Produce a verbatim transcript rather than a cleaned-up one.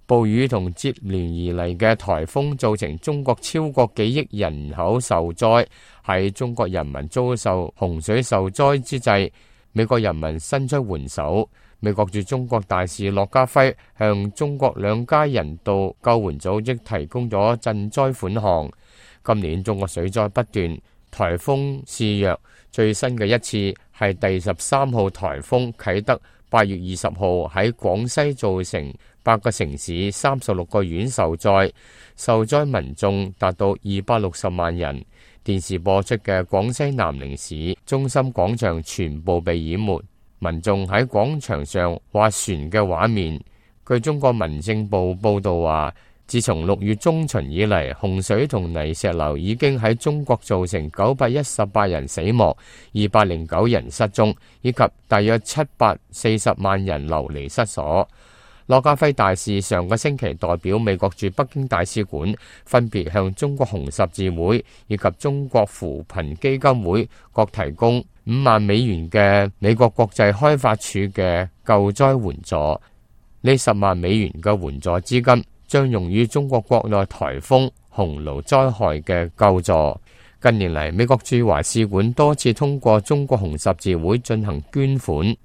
暴雨同接連而嚟嘅颱風造成中國超過幾億人口受災。喺中國人民遭受洪水受災之際，美國人民伸出援手。美國駐中國大使駱家輝向中國兩家人道救援組織提供咗賑災款項。今年中國水災不斷，颱風肆虐，最新嘅一次係第十三號颱風啟德，八月二十號喺廣西造成八個城市三十六個縣受災，受災民眾達到二百六十萬人。電視播出嘅廣西南寧市中心廣場全部被淹沒，民眾喺廣場上划船嘅畫面。據中國民政部報道話，自從六月中旬以嚟，洪水同泥石流已經喺中國造成九百一十八人死亡、二百零九人失蹤，以及大約七百四十萬人流離失所。駱家輝大使上個星期代表美國駐北京大使館，分別向中國紅十字會以及中國扶貧基金會各提供五萬美元嘅美國國際開發署嘅救災援助。呢十萬美元嘅援助資金將用於中國國內颱風、洪澇災害嘅救助。近年嚟，美國駐華使館多次通過中國紅十字會進行捐款。